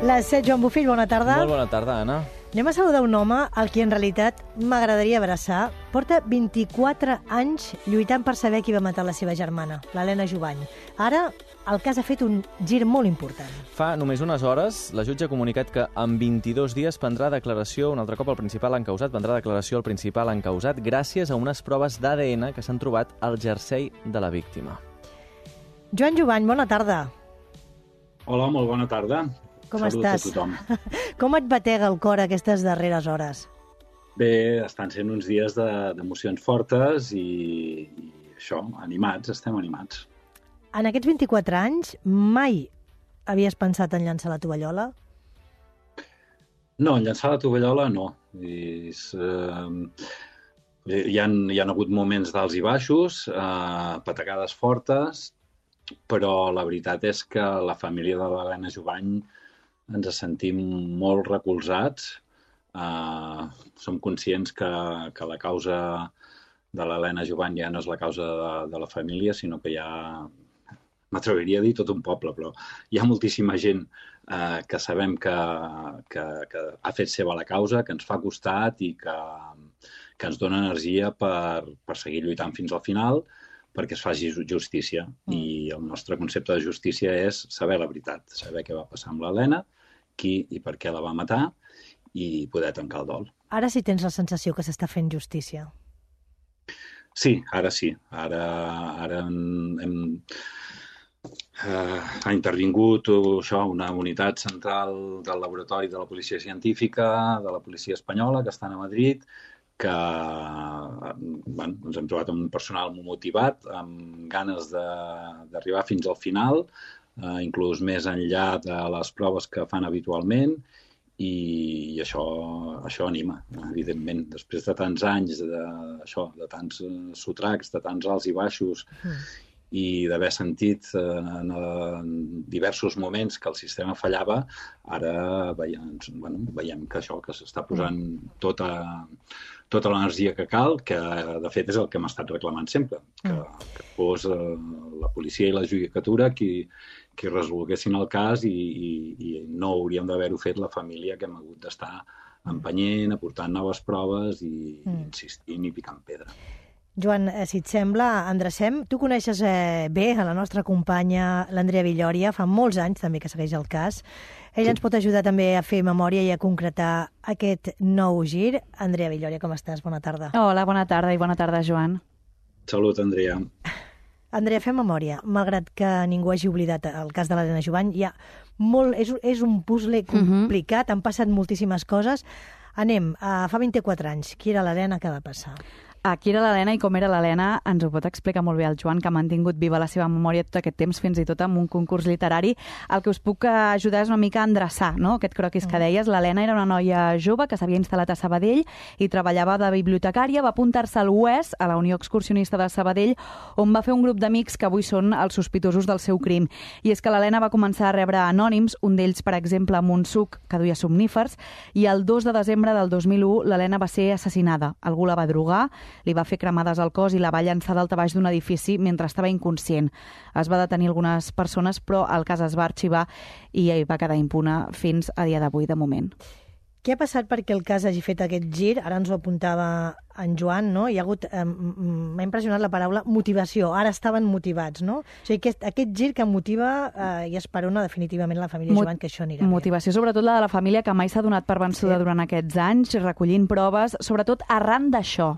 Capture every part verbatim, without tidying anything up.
Les set, Joan Bofill, bona tarda. Molt bona tarda, Anna. Anem a saludar un home al qui en realitat m'agradaria abraçar. Porta vint-i-quatre anys lluitant per saber qui va matar la seva germana, l'Helena Jubany. Ara el cas ha fet un gir molt important. Fa només unes hores, la jutge ha comunicat que en vint-i-dos dies prendrà declaració, un altre cop el principal encausat, prendrà declaració al principal encausat gràcies a unes proves d'A D N que s'han trobat al jersei de la víctima. Joan Jubany, bona tarda. Hola, molt bona tarda. Com Salut estàs? a tothom. Com et batega el cor aquestes darreres hores? Bé, estan sent uns dies de- d'emocions fortes i, i això, animats, estem animats. En aquests vint-i-quatre anys mai havies pensat en llançar la tovallola? No, en llançar la tovallola no. És, eh, hi, ha, hi ha hagut moments d'alts i baixos, eh, patacades fortes, però la veritat és que la família de l'Helena Jubany ens sentim molt recolzats. Uh, som conscients que, que la causa de l'Helena Jubany ja no és la causa de, de la família, sinó que hi ha, m'atreviria a dir, tot un poble, però hi ha moltíssima gent uh, que sabem que, que, que ha fet seva la causa, que ens fa costat i que, que ens dona energia per, per seguir lluitant fins al final, perquè es faci justícia. Mm. I el nostre concepte de justícia és saber la veritat, saber què va passar amb l'Helena, qui i per què la va matar, i poder tancar el dol. Ara sí tens la sensació que s'està fent justícia. Sí, ara sí. Ara, ara hem, hem, eh, ha intervingut això, una unitat central del laboratori de la policia científica, de la policia espanyola, que estan a Madrid, que bueno, ens hem trobat amb un personal molt motivat, amb ganes d'arribar fins al final, eh, inclús més enllà de les proves que fan habitualment, i, i això, això anima, evidentment. Després de tants anys, de, això, de tants sotracs, de tants alts i baixos, mm. i d'haver sentit en, en diversos moments que el sistema fallava, ara veiem, bueno, veiem que això que s'està posant tota, tota l'energia que cal, que de fet és el que hem estat reclamant sempre, que, que fos eh, la policia i la judicatura qui, qui resolguessin el cas i, i, i no hauríem d'haver-ho fet la família que hem hagut d'estar empenyent, aportant noves proves i, mm. i insistint i picant pedra. Joan, si et sembla, endrecem. Tu coneixes eh, bé a la nostra companya, l'Andrea Villòria, fa molts anys també que segueix el cas. Ella sí. ens pot ajudar també a fer memòria i a concretar aquest nou gir. Andrea Villòria, com estàs? Bona tarda. Hola, bona tarda i bona tarda, Joan. Salut, Andrea. Andrea, fem memòria. Malgrat que ningú hagi oblidat el cas de l'Helena Jubany, hi ha molt, és, és un puzzle complicat, uh-huh. han passat moltíssimes coses. Anem, a fa vint-i-quatre anys. Qui era l'Helena? Què va passar? A qui era l'Helena i com era l'Helena ens ho pot explicar molt bé el Joan, que ha mantingut viva la seva memòria tot aquest temps, fins i tot amb un concurs literari. El que us puc ajudar és una mica a endreçar, no?, aquest croquis que deies. L'Helena era una noia jove que s'havia instal·lat a Sabadell i treballava de bibliotecària. Va apuntar-se al U E S, a la Unió Excursionista de Sabadell, on va fer un grup d'amics que avui són els sospitosos del seu crim. I és que l'Helena va començar a rebre anònims, un d'ells, per exemple, amb un suc que duia somnífers, i el dos de desembre del dos mil u l'Helena va ser assassinada. Algú la va drogar, li va fer cremades al cos i la va llançar dalt a baix d'un edifici mentre estava inconscient. Es va detenir algunes persones, però el cas es va arxivar i va quedar impune fins a dia d'avui, de moment. Què ha passat perquè el cas hagi fet aquest gir? Ara ens ho apuntava en Joan, no? Hi ha hagut, eh, m'ha impressionat la paraula motivació. Ara estaven motivats, no? O sigui, aquest, aquest gir que motiva eh, i esperona definitivament la família Mot Jubany, que això anirà Motivació, bé. Sobretot la de la família, que mai s'ha donat per vençuda sí. durant aquests anys, recollint proves, sobretot arran d'això.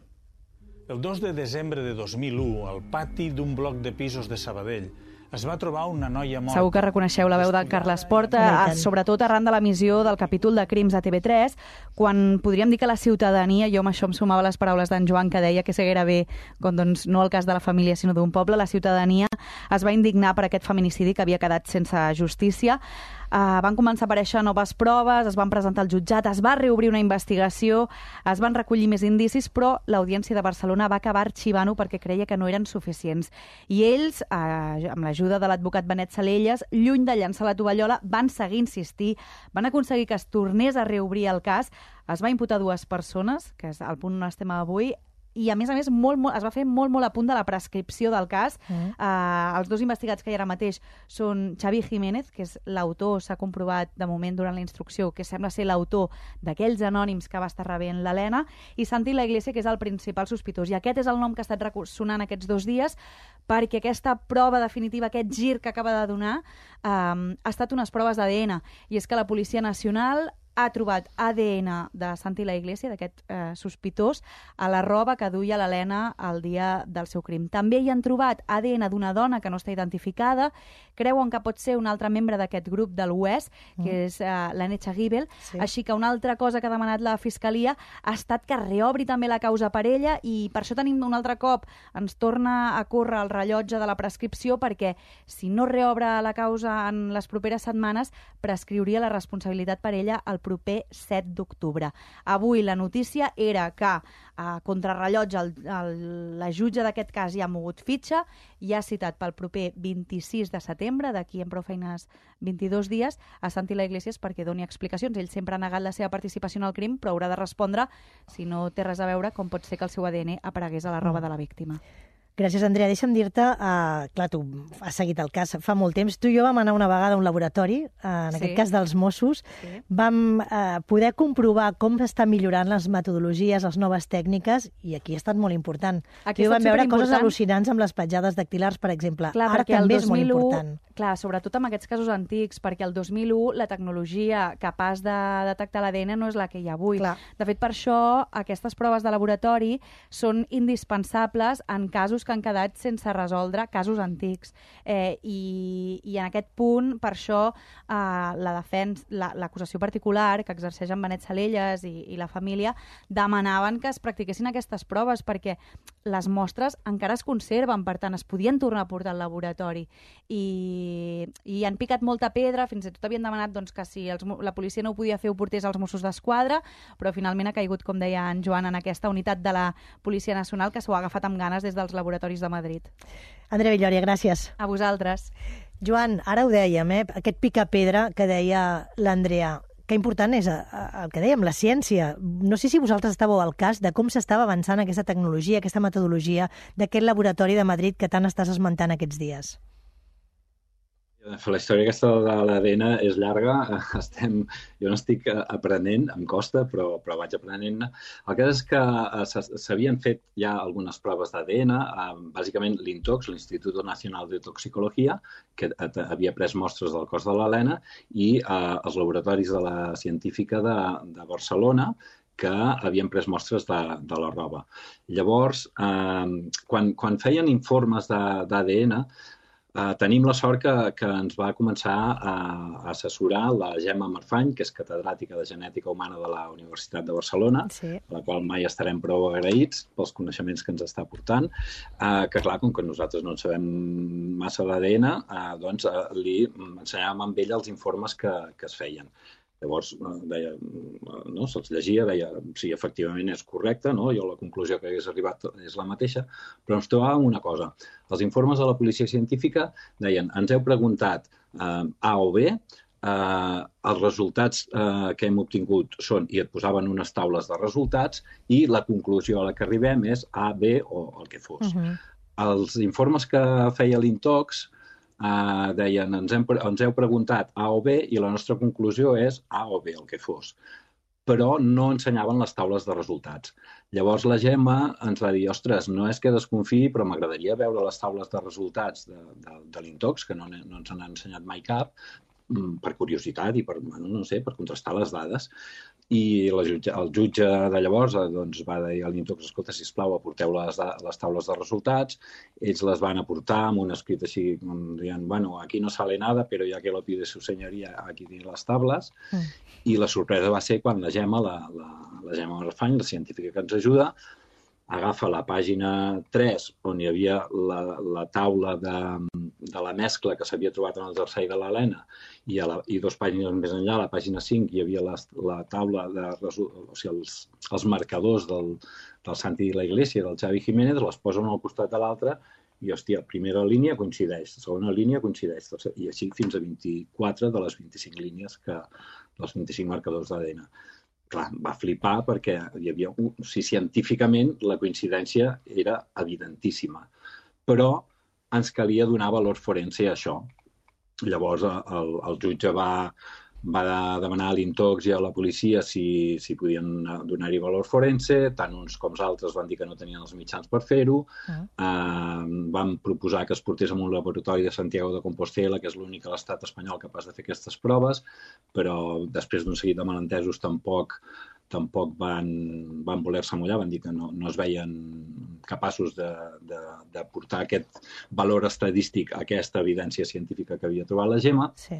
El dos de desembre de dos mil u, al pati d'un bloc de pisos de Sabadell, es va trobar una noia morta. Segur que reconeixeu la veu del Carles Porta, sobretot arran de l'emissió del capítol de Crims a T V tres, quan podríem dir que la ciutadania, jo amb això em sumava les paraules d'en Joan, que deia que seguera bé, com, doncs, no el cas de la família, sinó d'un poble, la ciutadania es va indignar per aquest feminicidi que havia quedat sense justícia. Uh, van començar a aparèixer noves proves, es van presentar al jutjat, es va reobrir una investigació, es van recollir més indicis, però l'Audiència de Barcelona va acabar arxivant-ho perquè creia que no eren suficients. I ells, uh, amb l'ajuda de l'advocat Benet Salelles, lluny de llançar la tovallola, van seguir insistir, van aconseguir que es tornés a reobrir el cas. Es va imputar dues persones, que és el punt on estem avui, i a més a més molt, molt, es va fer molt, molt a punt de la prescripció del cas. Mm. Uh, els dos investigats que hi ha ara mateix són Xavi Jiménez, que és l'autor, s'ha comprovat de moment durant la instrucció, que sembla ser l'autor d'aquells anònims que va estar rebent l'Helena, i Santi La Iglesia, que és el principal sospitós. I aquest és el nom que ha estat sonant aquests dos dies, perquè aquesta prova definitiva, aquest gir que acaba de donar, eh, ha estat unes proves d'A D N. I és que la Policia Nacional ha trobat A D N de Santi La Iglesia, d'aquest eh, sospitós, a la roba que duia l'Helena el dia del seu crim. També hi han trobat A D N d'una dona que no està identificada, creuen que pot ser un altre membre d'aquest grup del U E S, que mm. és eh, l'Anetxa Gibel, sí. Així que una altra cosa que ha demanat la Fiscalia ha estat que reobri també la causa per ella, i per això tenim un altre cop, ens torna a córrer el rellotge de la prescripció, perquè si no reobre la causa en les properes setmanes, prescriuria la responsabilitat per ella el proper set d'octubre. Avui la notícia era que a contrarrellotge el, el, la jutge d'aquest cas ja ha mogut fitxa i ha citat pel proper vint-i-sis de setembre, d'aquí en prou feines vint-i-dos dies, a Santi La Iglesia perquè doni explicacions. Ell sempre ha negat la seva participació en el crim, però haurà de respondre si no té res a veure com pot ser que el seu A D N aparegués a la roba de la víctima. Gràcies, Andrea. Deixa'm dir-te, uh, clar, tu has seguit el cas fa molt temps. Tu i jo vam anar una vegada a un laboratori, uh, en sí. aquest cas dels Mossos. Sí. Vam uh, poder comprovar com s'estan millorant les metodologies, les noves tècniques, i aquí ha estat molt important. Aquí tu vam veure coses al·lucinants amb les petjades dactilars, per exemple. Clar, ara també és molt important. Clar, sobretot amb aquests casos antics, perquè el dos mil u la tecnologia capaç de detectar l'A D N no és la que hi ha avui. Clar. De fet, per això, aquestes proves de laboratori són indispensables en casos que han quedat sense resoldre, casos antics. Eh, i, I en aquest punt, per això, eh, la defensa, la, l'acusació particular que exerceix en Benet Salellas i, i la família demanaven que es practiquessin aquestes proves, perquè les mostres encara es conserven, per tant, es podien tornar a portar al laboratori. I, i han picat molta pedra, fins i tot havien demanat doncs, que si els, la policia no ho podia fer ho portés als Mossos d'Esquadra, però finalment ha caigut, com deia en Joan, en aquesta unitat de la Policia Nacional que s'ho ha agafat amb ganes des dels laboratoris de Madrid. Andrea Villòria, gràcies. A vosaltres. Joan, ara ho dèiem, eh? Aquest pica-pedra que deia l'Andrea, que important és el que dèiem, la ciència. No sé si vosaltres estàveu al cas de com s'estava avançant aquesta tecnologia, aquesta metodologia d'aquest laboratori de Madrid que tant estàs esmentant aquests dies. La història aquesta de l'A D N és llarga. Estem, jo n'estic aprenent, em costa, però, però vaig aprenent-ne. El cas és que s'havien fet ja algunes proves d'A D N, bàsicament l'INTOX, l'Instituto Nacional de Toxicologia, que havia pres mostres del cos de l'Helena, i eh, els laboratoris de la científica de, de Barcelona, que havien pres mostres de, de la roba. Llavors, eh, quan, quan feien informes d'A D N, Uh, tenim la sort que, que ens va començar a, a assessorar la Gemma Marfany, que és catedràtica de Genètica Humana de la Universitat de Barcelona, sí. A la qual mai estarem prou agraïts pels coneixements que ens està portant, uh, que clar, com que nosaltres no en sabem massa l'A D N, uh, doncs uh, li ensenyàvem amb ella els informes que, que es feien. Llavors, deia, no, se'ls llegia, deia si efectivament és correcte, no? Jo la conclusió que hagués arribat és la mateixa, però ens trobàvem una cosa. Els informes de la policia científica deien, ens heu preguntat eh, A o B, eh, els resultats eh, que hem obtingut són, i et posaven unes taules de resultats, i la conclusió a la que arribem és A, B o el que fos. Uh-huh. Els informes que feia l'INTOX Uh, deien, ens, hem, ens heu preguntat A o B i la nostra conclusió és A o B, el que fos. Però no ensenyaven les taules de resultats. Llavors la Gemma ens va dir, ostres, no és que desconfiï, però m'agradaria veure les taules de resultats de, de, de l'INTOX, que no, no ens han ensenyat mai cap, per curiositat i per, bueno, no sé, per contrastar les dades. I la jutge, el jutge de llavors doncs, va dir a l'INTOX, escolta, sisplau, aporteu les, les taules de resultats. Ells les van aportar amb un escrit així, dient, bueno, aquí no sale nada, però ja que lo pide su señoría, aquí tiene les tables. Mm. I la sorpresa va ser quan la Gemma, la, la, la Gemma Marfany, la científica que ens ajuda, agafa la pàgina tres, on hi havia la, la taula de, de la mescla que s'havia trobat en el jersei de l'Helena, i, a la, i dos pàgines més enllà, a la pàgina cinc, hi havia la, la taula, de, o sigui, els, els marcadors del, del Santi La Iglesia i del Xavi Jiménez, les posa un al costat de l'altre, i, hòstia, primera línia coincideix, segona línia coincideix, i així fins a vint-i-quatre de les vint-i-cinc línies, que, dels vint-i-cinc marcadors d'A D N. clar, va flipar perquè hi havia, un, o sigui, científicament la coincidència era evidentíssima, però ens calia donar valor forense a això. Llavors el, el jutge va, va demanar a l'Intox i a la policia si, si podien donar-hi valor forense, tant uns com els altres van dir que no tenien els mitjans per fer-ho, uh. eh, van proposar que es portés a un laboratori de Santiago de Compostela, que és l'únic a l'estat espanyol capaç de fer aquestes proves, però després d'un seguit de malentesos tampoc tampoc van, van voler-se mullar, van dir que no, no es veien capaços de, de, de portar aquest valor estadístic a aquesta evidència científica que havia trobat la Gemma. Sí.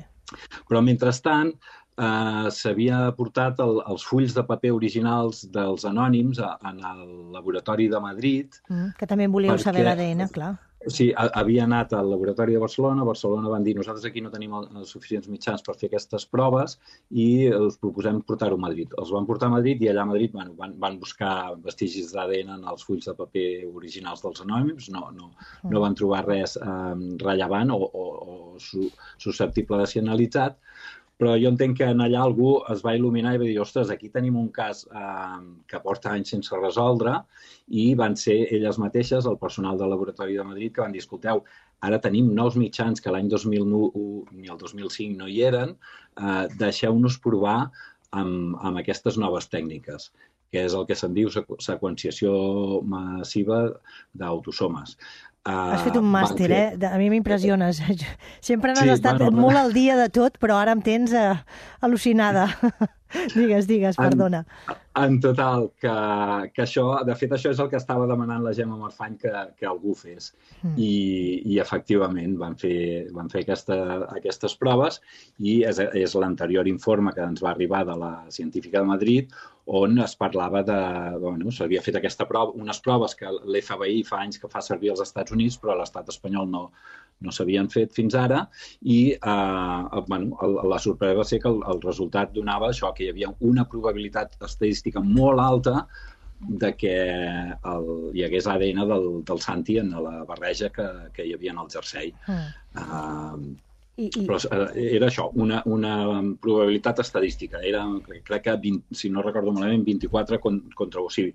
Però, mentrestant, eh, s'havia portat el, els fulls de paper originals dels anònims a, en el laboratori de Madrid. Mm, que també en volíeu perquè, saber l'A D N, clar. Sí, havia anat al laboratori de Barcelona, a Barcelona van dir nosaltres aquí no tenim els suficients mitjans per fer aquestes proves i us proposem portar-ho a Madrid. Els van portar a Madrid i allà a Madrid bueno, van, van buscar vestigis d'A D N en els fulls de paper originals dels anònims, no, no, no van trobar res eh, rellevant o, o, o su, susceptible de ser analitzat, però jo entenc que en allà algú es va il·luminar i va dir, ostres, aquí tenim un cas eh, que porta anys sense resoldre i van ser elles mateixes, el personal del laboratori de Madrid, que van dir, escolteu, ara tenim nous mitjans que l'any dos mil u ni el dos mil cinc no hi eren, eh, deixeu-nos provar amb, amb aquestes noves tècniques, que és el que se'n diu seqüenciació massiva d'autosomes. Has fet un màster, fer... eh? A mi m'impressiones. Sempre n'has sí, estat bueno, molt al dia de tot, però ara em tens uh, al·lucinada. Digues, digues, perdona. En, en total, que, que això, de fet, això és el que estava demanant la Gemma Marfany que, que algú fes. Mm. I, i efectivament van fer, van fer aquesta, aquestes proves i és, és l'anterior informe que ens va arribar de la científica de Madrid on es parlava de... Bueno, s'havia fet aquesta prova, unes proves que l'F B I fa anys que fa servir als Estats Units, però a l'estat espanyol no, no s'havien fet fins ara i eh, bueno, la sorpresa va ser que el, el resultat donava això, que hi havia una probabilitat estadística molt alta de que el, hi hagués A D N del, del Santi en la barreja que, que hi havia en el jersei. Mm. Uh, I, i... Però era això, una, una probabilitat estadística. Era, crec que, vint, si no recordo malament, vint-i-quatre contra... O sigui,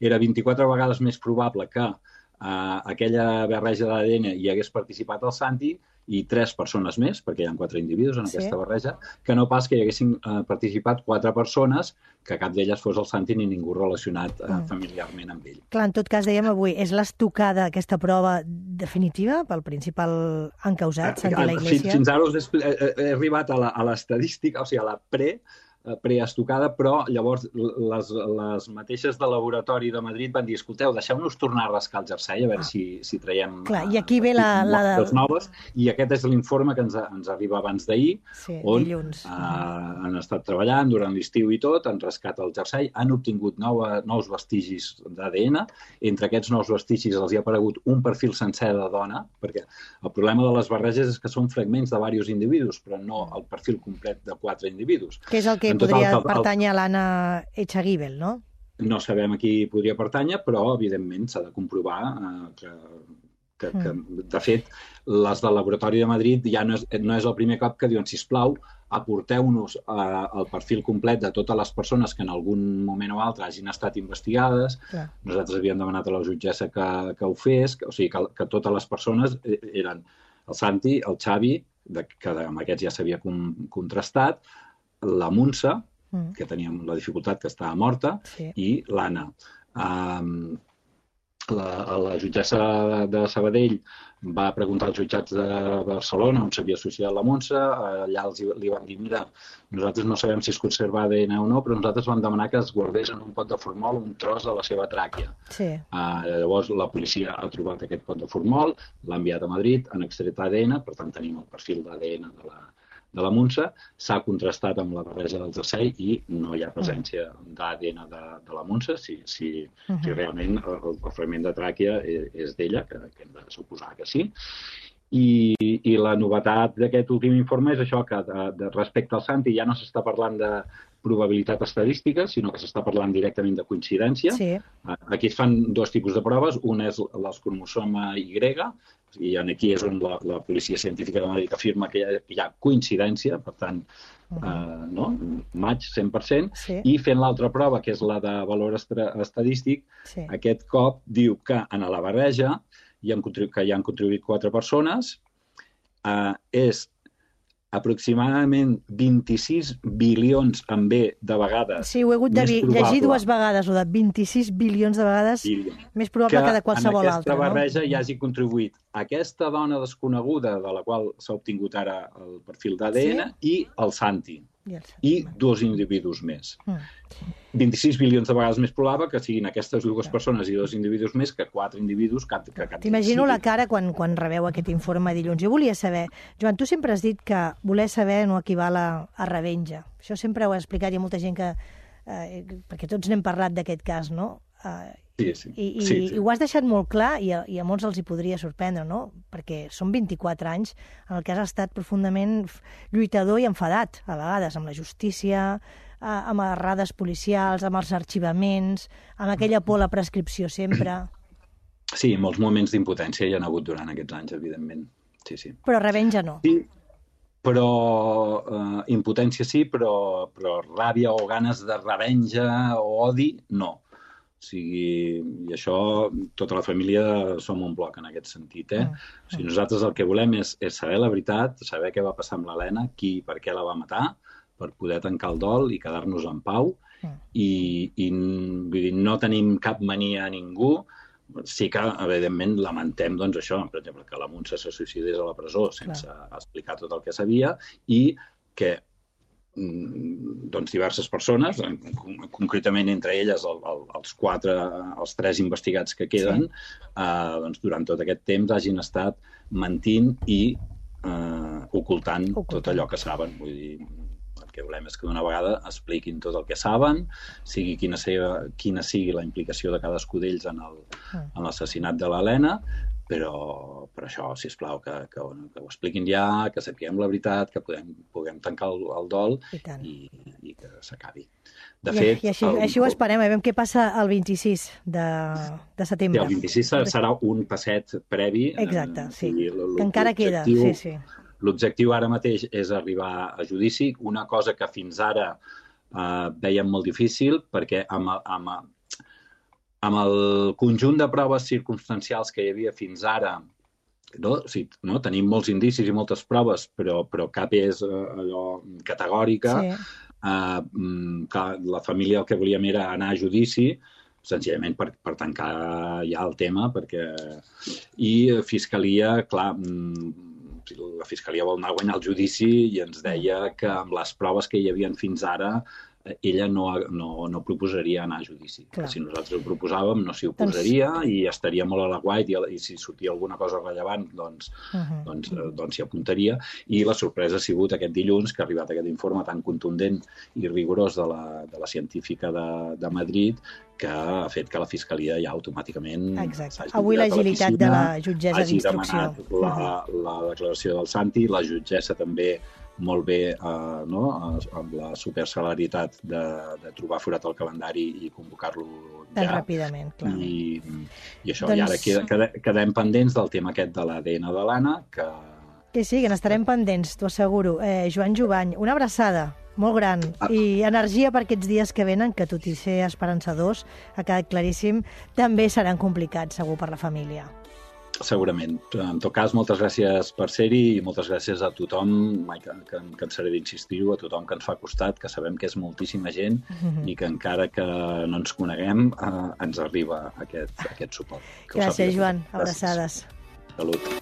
era vint-i-quatre vegades més probable que uh, aquella barreja d'A D N hi hagués participat el Santi i tres persones més, perquè hi ha quatre individus en sí. aquesta barreja, que no pas que hi haguessin uh, participat quatre persones, que cap d'elles fos el Santi ni ningú relacionat uh, mm. familiarment amb ell. Clar, en tot cas, dèiem avui, és l'estocada aquesta prova definitiva pel principal encausat, Santi la Iglesia? Fins, fins ara us he, he arribat a l'estadística, o sigui, a la pre, preestocada, però llavors les, les mateixes del laboratori de Madrid van dir, escolteu, deixeu-nos tornar a rascar el jersei a veure ah. si, si traiem Clar, i aquí ve la, la de... noves, i aquest és l'informe que ens, ens arriba abans d'ahir, sí, on dilluns. Uh, han estat treballant durant l'estiu i tot, han rascat el jersei, han obtingut nova, nous vestigis d'A D N, entre aquests nous vestigis els hi ha aparegut un perfil sencer de dona, perquè el problema de les barreges és que són fragments de diversos individus, però no el perfil complet de quatre individus. Que és el que en podria total, pertànyer a l'Anna Echagüibel, no? No sabem a qui podria pertànyer, però, evidentment, s'ha de comprovar eh, que, que, mm. que, de fet, les del Laboratori de Madrid ja no és, no és el primer cop que diuen, sisplau, aporteu-nos eh, el perfil complet de totes les persones que en algun moment o altre hagin estat investigades. Clar. Nosaltres havíem demanat a la jutgessa que, que ho fes, que, o sigui, que, que totes les persones eren el Santi, el Xavi, de, que amb aquests ja s'havia contrastat, la Montse, mm. que teníem la dificultat que estava morta, sí. i l'Anna. Um, la, la jutgessa de Sabadell va preguntar als jutjats de Barcelona on s'havia associat la Montse, allà els, li van dir, mira, nosaltres no sabem si es conserva A D N o no, però nosaltres vam demanar que es guardés en un pot de formol un tros de la seva tràquea. Sí. Uh, llavors la policia ha trobat aquest pot de formol, l'ha enviat a Madrid, han extret A D N, per tant tenim el perfil d'A D N de la de la Montse, s'ha contrastat amb la barreja del jersei i no hi ha presència d'A D N de, de la Montse, si, si, uh -huh. si realment el, el fragment de tràquea és, és d'ella, que, que hem de suposar que sí. I, i la novetat d'aquest últim informe és això, que de, de respecte al Santi ja no s'està parlant de probabilitat estadística, sinó que s'està parlant directament de coincidència. Sí. Aquí es fan dos tipus de proves. Una és l'escromosoma Y, i aquí és on la, la policia científica de Madrid afirma que hi ha, hi ha coincidència, per tant, uh -huh. eh, no? Match cent per cent, sí. I fent l'altra prova, que és la de valor estadístic, sí. Aquest cop diu que en la barreja hi han que hi han contribuït quatre persones, eh, és aproximadament vint-i-sis bilions en B de vegades. Sí, ho he hagut de llegir dues vegades, o de vint-i-sis bilions de vegades, bilions. Més probable que, que de qualsevol altra. Que en aquesta barreja no? Hi hagi contribuït aquesta dona desconeguda, de la qual s'ha obtingut ara el perfil d'A D N, sí? I el Santi. I, el Santi. I dos individus més. Mm. vint-i-sis bilions de vegades més probable que siguin aquestes dues no. persones i dos individus més que quatre individus que, que, que T'imagino la cara quan, quan rebeu aquest informe dilluns. Jo volia saber, Joan, tu sempre has dit que voler saber no equival a, a revenja. Això sempre ho he explicat, hi ha molta gent que... Eh, perquè tots n'hem parlat d'aquest cas, no? Eh, sí, sí. I, i, sí, sí. I ho has deixat molt clar i a, i a molts els hi podria sorprendre, no? Perquè són vint-i-quatre anys en el que has estat profundament lluitador i enfadat, a vegades, amb la justícia, amb errades policials, amb els arxivaments, amb aquella por a la prescripció sempre. Sí, molts moments d'impotència hi ha hagut durant aquests anys, evidentment. Sí, sí. Però revenja no. Sí, però eh, impotència sí, però, però ràbia o ganes de revenja o odi, no. O sigui, i això, tota la família som un bloc en aquest sentit, eh? Mm. O sigui, nosaltres el que volem és, és saber la veritat, saber què va passar amb l'Helena, qui i per què la va matar, per poder tancar el dol i quedar-nos en pau. Mm. I, i vull dir, no tenim cap mania a ningú. Sí que, evidentment, lamentem, doncs, això, per exemple, que la Montse se suïcidés a la presó sense Clar. explicar tot el que sabia i que doncs, diverses persones, concretament entre elles el, el, els quatre, els tres investigats que queden, sí. eh, doncs, durant tot aquest temps hagin estat mentint i eh, ocultant, ocultant tot allò que saben. Vull dir, el que volem és que d'una vegada expliquin tot el que saben, sigui quina, seva, quina sigui la implicació de cadascú d'ells en l'assassinat de l'Helena, però per això, sisplau, que, que, que ho expliquin ja, que sapiguem la veritat, que podem, puguem tancar el, el dol i, i, i que s'acabi. De I, fet... I així, el, així ho esperem, a veure què passa el vint-i-sis de, de setembre. Sí, el vint-i-sis serà un passet previ. Exacte, sí, que encara queda, sí, sí. L'objectiu ara mateix és arribar a judici, una cosa que fins ara eh, veiem molt difícil, perquè amb, amb, amb el conjunt de proves circumstancials que hi havia fins ara, no? O sigui, no? Tenim molts indicis i moltes proves, però, però cap és eh, allò categòrica. Sí. Eh, que la família el que volíem era anar a judici, senzillament per, per tancar ja el tema, perquè... I Fiscalia, clar, la Fiscalia vol anar a guanyar el judici i ens deia que amb les proves que hi havia fins ara ella no, no, no proposaria anar a judici. Si nosaltres ho proposàvem, no s'hi oposaria doncs... i estaria molt a la guait i, i si sortia alguna cosa rellevant, doncs, uh-huh. doncs, doncs s'hi apuntaria. I la sorpresa ha sigut aquest dilluns que ha arribat aquest informe tan contundent i rigorós de la, de la científica de, de Madrid que ha fet que la Fiscalia ja automàticament... Exacte. Avui l'agilitat de la jutgessa d'instrucció. Hagi demanat la, la declaració del Santi, la jutgessa també molt bé eh, no? amb la superceleritat de, de trobar forat el calendari i convocar-lo ja. Tan ràpidament, clar. I, i això, doncs... i ara queda, quedem pendents del tema aquest de l'A D N de l'Anna, que... Que sí, que n'estarem pendents, t'ho asseguro. Eh, Joan Jubany, una abraçada molt gran ah. i energia per aquests dies que venen, que tot i ser esperançadors, ha quedat claríssim, també seran complicats, segur, per la família. Segurament. En tot cas, moltes gràcies per ser-hi i moltes gràcies a tothom, mai que, que em cansaré d'insistir-ho, a tothom que ens fa costat, que sabem que és moltíssima gent mm-hmm. i que encara que no ens coneguem, eh, ens arriba aquest, aquest suport. Que gràcies, Joan. Abraçades. Salut.